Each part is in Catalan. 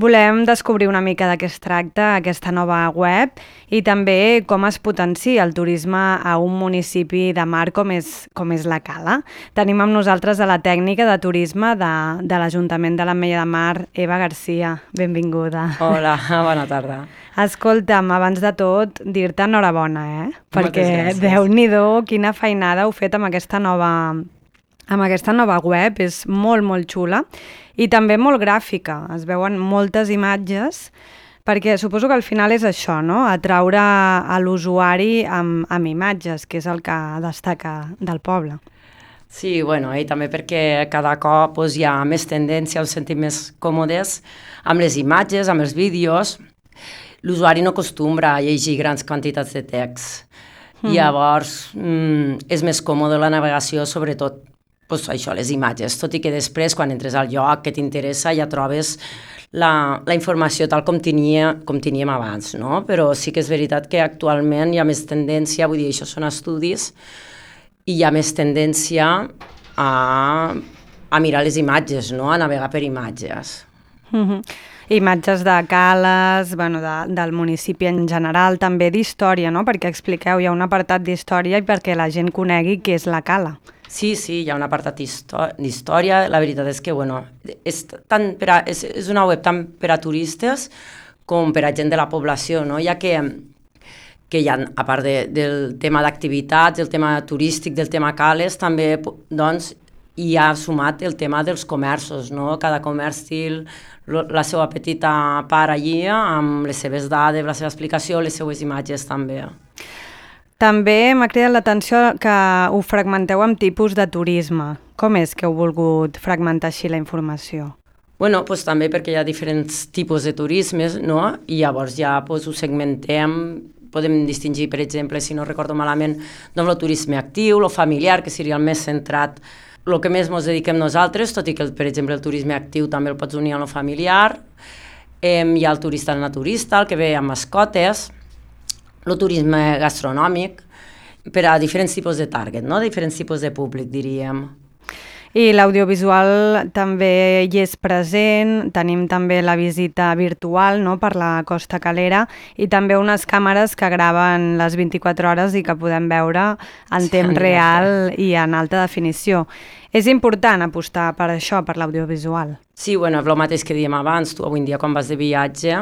Volem descobrir una mica de què es tracta aquesta nova web i també com es potencia el turisme a un municipi de mar com és la Cala. Tenim amb nosaltres a la tècnica de turisme de l'Ajuntament de l'Ametlla de Mar, Eva Garcia. Benvinguda. Hola, bona tarda. Escolta'm, abans de tot, dir-te enhorabona, perquè Déu-n'hi-do, quina feinada heu fet amb aquesta nova web, és molt, molt xula i també molt gràfica, es veuen moltes imatges, perquè suposo que al final és això, no? Atraure a l'usuari amb imatges, que és el que destaca del poble. Sí, bueno, i també perquè cada cop hi ha més tendència, ens sentim més còmodes amb les imatges, amb els vídeos. L'usuari no acostumbra a llegir grans quantitats de text. Llavors, és més còmode la navegació, sobretot això, les imatges, tot i que després, quan entres al lloc que t'interessa, ja trobes la informació tal com teníem abans, no? Però sí que és veritat que actualment hi ha més tendència, vull dir, això són estudis, i hi ha més tendència a mirar les imatges, no? A navegar per imatges. Imatges de cales, del municipi en general, també d'història, no? Perquè expliqueu, hi ha un apartat d'història i perquè la gent conegui què és la Cala. Sí, hi ha un apartat d'història. La veritat és que, és una web tant per a turistes com per a gent de la població, no? Ja que hi ha, a part del tema d'activitats, del tema turístic, del tema cales, també, doncs, hi ha sumat el tema dels comerços, no? Cada comerç té la seva petita part allí, amb les seves dades, la seva explicació, les seues imatges també. També m'ha cridat l'atenció que ho fragmenteu amb tipus de turisme. Com és que heu volgut fragmentar així la informació? Bueno, doncs també perquè hi ha diferents tipus de turismes, no? I llavors ja ho segmentem, podem distingir, per exemple, si no recordo malament, doncs el turisme actiu, el familiar, que seria el més centrat, el que més ens dediquem nosaltres, tot i que, per exemple, el turisme actiu també el pots unir amb el familiar. Hi ha el turista naturista, el que ve amb mascotes, el turisme gastronòmic, per a diferents tipus de target, no? Diferents tipus de públic, diríem. I l'audiovisual també hi és present, tenim també la visita virtual, no?, per la Costa Calera i també unes càmeres que graven les 24 hores i que podem veure en temps real i en alta definició. És important apostar per això, per l'audiovisual. Sí, bueno, és el mateix que dèiem abans. Tu avui en dia quan vas de viatge,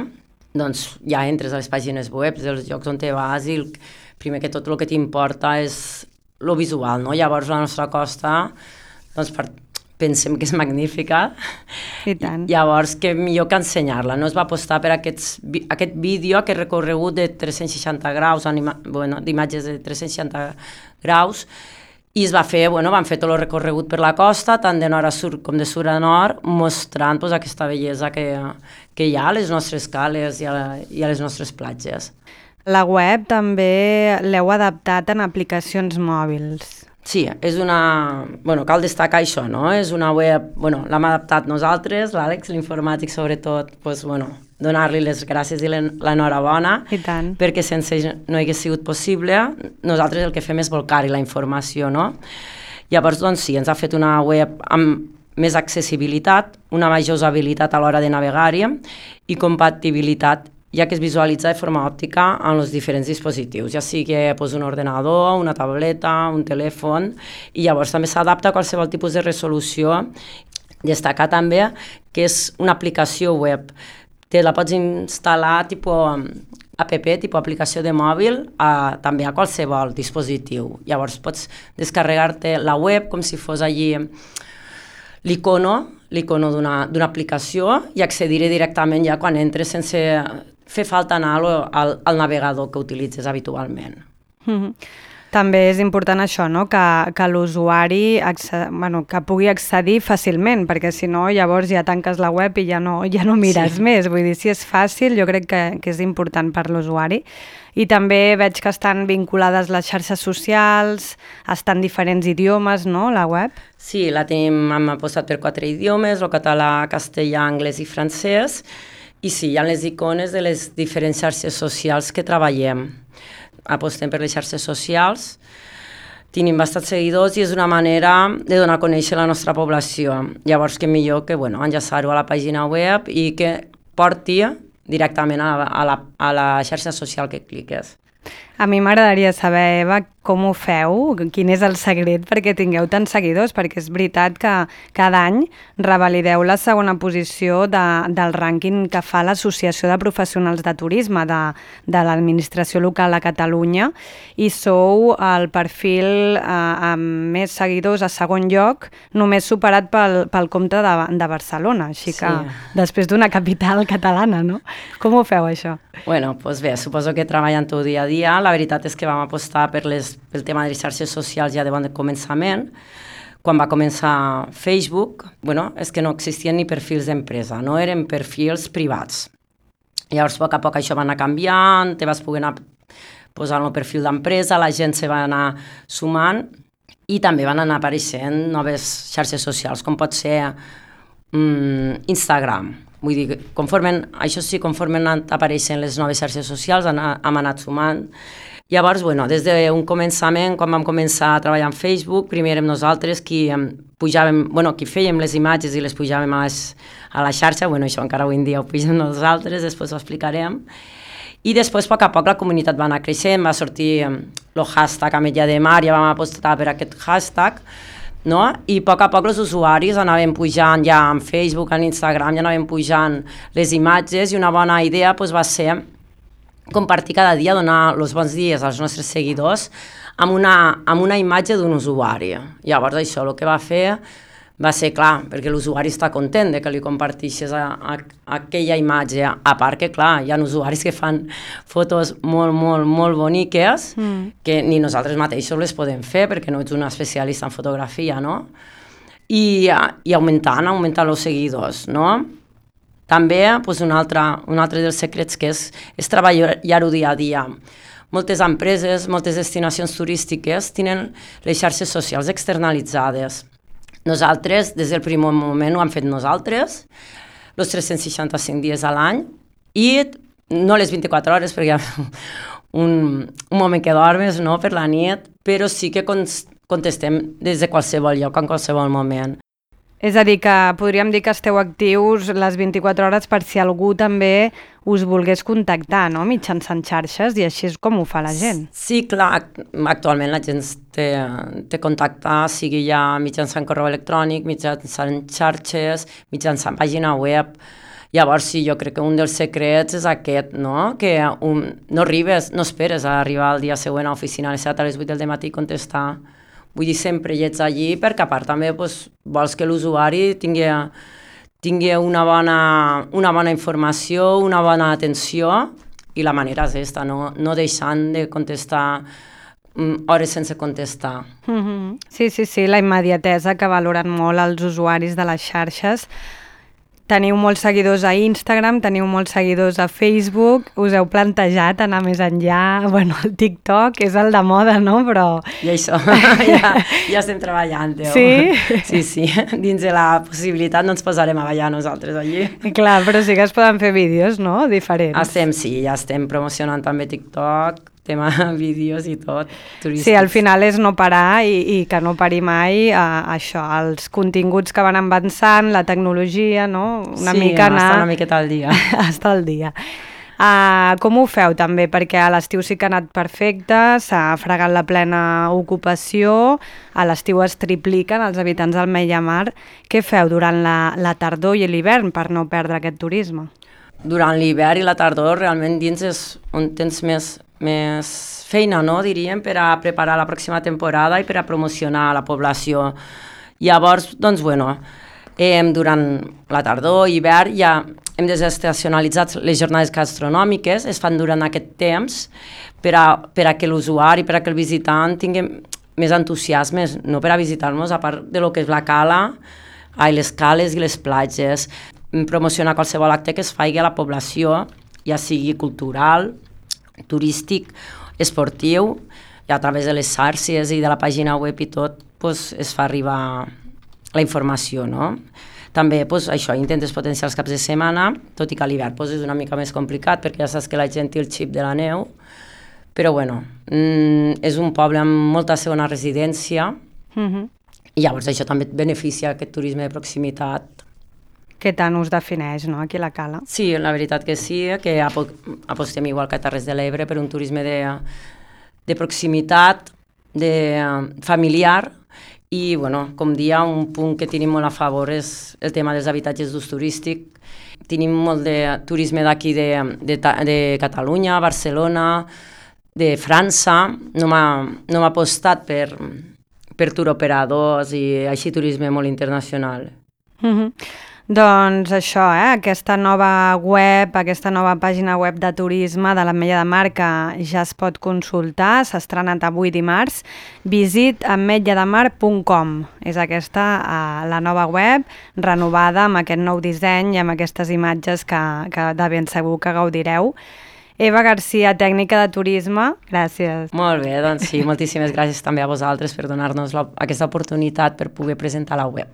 doncs ja entres a les pàgines web dels llocs on te vas i primer que tot el que t'importa és el visual, no? Llavors la nostra costa, doncs pensem que és magnífica. I tant. Llavors, que millor que ensenyar-la. No es va apostar per aquest vídeo, aquest recorregut de 360 graus, d'imatges de 360 graus, i es va fer, van fer tot el recorregut per la costa, tant de nord a sud com de sud a nord, mostrant aquesta bellesa que hi ha a les nostres cales i a les nostres platges. La web també l'heu adaptat en aplicacions mòbils. Sí, cal destacar això, no? És una web, l'hem adaptat nosaltres, l'Àlex, l'informàtic sobretot, donar-li les gràcies i l'enhorabona, perquè sense no hagués sigut possible, nosaltres el que fem és volcar-hi la informació, no? Llavors, doncs sí, ens ha fet una web amb més accessibilitat, una major usabilitat a l'hora de navegar-hi i compatibilitat, ja que es visualitza de forma òptica en els diferents dispositius, ja sigui un ordenador, una tableta, un telèfon, i llavors també s'adapta a qualsevol tipus de resolució. Destacar també que és una aplicació web. Te la pots instal·lar tipus app, tipus aplicació de mòbil, també a qualsevol dispositiu. Llavors pots descarregar-te la web com si fos allí l'icono d'una aplicació i accedir-hi directament ja quan entres sense fer falta anar al navegador que utilitzes habitualment. També és important això, no?, que l'usuari que pugui accedir fàcilment, perquè si no llavors ja tanques la web i ja no mires més. Vull dir, si és fàcil, jo crec que és important per l'usuari. I també veig que estan vinculades les xarxes socials, estan diferents idiomes, no?, la web? Sí, hem apostat per 4 idiomes, el català, castellà, anglès i francès, i sí, hi ha les icones de les diferents xarxes socials que treballem. Apostem per les xarxes socials, tenim bastants seguidors i és una manera de donar a conèixer la nostra població. Llavors, que millor que enllaçar-ho a la pàgina web i que porti directament a la xarxa social que cliques. A mi m'agradaria saber, Eva, com ho feu, quin és el secret perquè tingueu tants seguidors, perquè és veritat que cada any revalideu la segona posició del rànquing que fa l'Associació de Professionals de Turisme de l'Administració Local a Catalunya i sou el perfil amb més seguidors a segon lloc, només superat pel Comte de Barcelona, així que després d'una capital catalana, no? Com ho feu, això? Bueno, doncs bé, suposo que treballant-ho dia a dia, la veritat és que vam apostar pel tema de les xarxes socials ja de bon començament. Quan va començar Facebook, és que no existien ni perfils d'empresa, no eren perfils privats. Llavors, a poc a poc això va anar canviant, te vas poder anar posant el perfil d'empresa, la gent se va anar sumant i també van anar apareixent noves xarxes socials, com pot ser Instagram. Vull dir, conforme han anat apareixent les noves xarxes socials, hem anat sumant. Llavors, des d'un començament, quan vam començar a treballar en Facebook, primer érem nosaltres qui fèiem les imatges i les pujàvem a la xarxa, això encara avui en dia ho pugem nosaltres, després ho explicarem. I després, a poc, la comunitat va anar creixent, va sortir el hashtag Ametlla de Mar, ja vam apostar per aquest hashtag, no? I a poc els usuaris anaven pujant ja en Facebook, en Instagram, ja anaven pujant les imatges i una bona idea va ser compartir cada dia, donar els bons dies als nostres seguidors amb una imatge d'un usuari. Llavors això el que va fer va ser clar, perquè l'usuari està content de que li comparteixes aquella imatge, a part que clar, hi ha usuaris que fan fotos molt, molt, molt boniques que ni nosaltres mateixos les podem fer perquè no ets una especialista en fotografia, no? I augmentant els seguidors, no? També un altre dels secrets que és treballar-ho dia a dia. Moltes empreses, moltes destinacions turístiques tenen les xarxes socials externalitzades. Nosaltres, des del primer moment, ho hem fet nosaltres, els 365 dies a l'any, i no les 24 hores, perquè hi ha un moment que dormes, no?, per la nit, però sí que contestem des de qualsevol lloc, en qualsevol moment. És a dir, que podríem dir que esteu actius les 24 hores per si algú també us volgués contactar, no?, mitjançant xarxes, i així és com ho fa la gent. Sí, clar, actualment la gent té contacte, sigui ja mitjançant correu electrònic, mitjançant xarxes, mitjançant pàgina web. Llavors, sí, jo crec que un dels secrets és aquest, no?, que no esperes a arribar el dia següent a l'oficina a les 7 a les 8 del matí i contestar. Vull dir, sempre hi ets allí perquè a part també vols que l'usuari tingui una bona informació, una bona atenció, i la manera és aquesta, no deixant de contestar hores sense contestar. Sí, la immediatesa que valoren molt els usuaris de les xarxes. Teniu molts seguidors a Instagram, teniu molts seguidors a Facebook, us heu plantejat anar més enllà, el TikTok és el de moda, no? Però... I això, ja estem treballant. Sí? Sí, dins de la possibilitat no ens posarem a ballar nosaltres allí. Clar, però sí que es poden fer vídeos, no?, diferents. Ja estem promocionant també TikTok, tema vídeos i tot, turístics. Sí, al final és no parar i que no pari mai això, els continguts que van avançant, la tecnologia, no? Una mica anar... estar una miqueta al dia. Estar al dia. Com ho feu també? Perquè a l'estiu sí que ha anat perfecte, s'ha fregat la plena ocupació, a l'estiu es tripliquen els habitants del Mella-Mar. Què feu durant la tardor i l'hivern per no perdre aquest turisme? Durant l'hivern i la tardor realment dins és on tens més feina, no, diríem, per a preparar la pròxima temporada i per a promocionar la població. Llavors, durant la tardor i hivern ja hem desestacionalitzat les jornades gastronòmiques, es fan durant aquest temps per a que l'usuari, per a que el visitant tingui més entusiasme, no per a visitar-nos, a part de lo que és la cala, les cales i les platges, promocionar qualsevol acte que es faci a la població, ja sigui cultural, turístic, esportiu, i a través de les xarxes i de la pàgina web i tot, es fa arribar la informació, no? També, això, intentes potenciar els caps de setmana, tot i que a l'hivern és una mica més complicat, perquè ja saps que la gent té el xip de la neu, però és un poble amb molta segona residència, i llavors això també beneficia aquest turisme de proximitat. que tant us defineix, no?, aquí a la Cala. Sí, la veritat que sí, que apostem igual que a Terres de l'Ebre per un turisme de proximitat, familiar, i, bueno, com dia, un punt que tenim molt a favor és el tema dels habitatges d'ús turístic. Tenim molt de turisme d'aquí de Catalunya, Barcelona, de França. No m'ha apostat per turoperadors i així turisme molt internacional. Doncs això, aquesta nova web, aquesta nova pàgina web de turisme de l'Ametlla de Mar que ja es pot consultar, s'ha estrenat avui dimarts, visitametllademar.com. És aquesta la nova web, renovada amb aquest nou disseny i amb aquestes imatges que de ben segur que gaudireu. Eva Garcia, tècnica de turisme, gràcies. Molt bé, doncs sí, moltíssimes gràcies també a vosaltres per donar-nos aquesta oportunitat per poder presentar la web.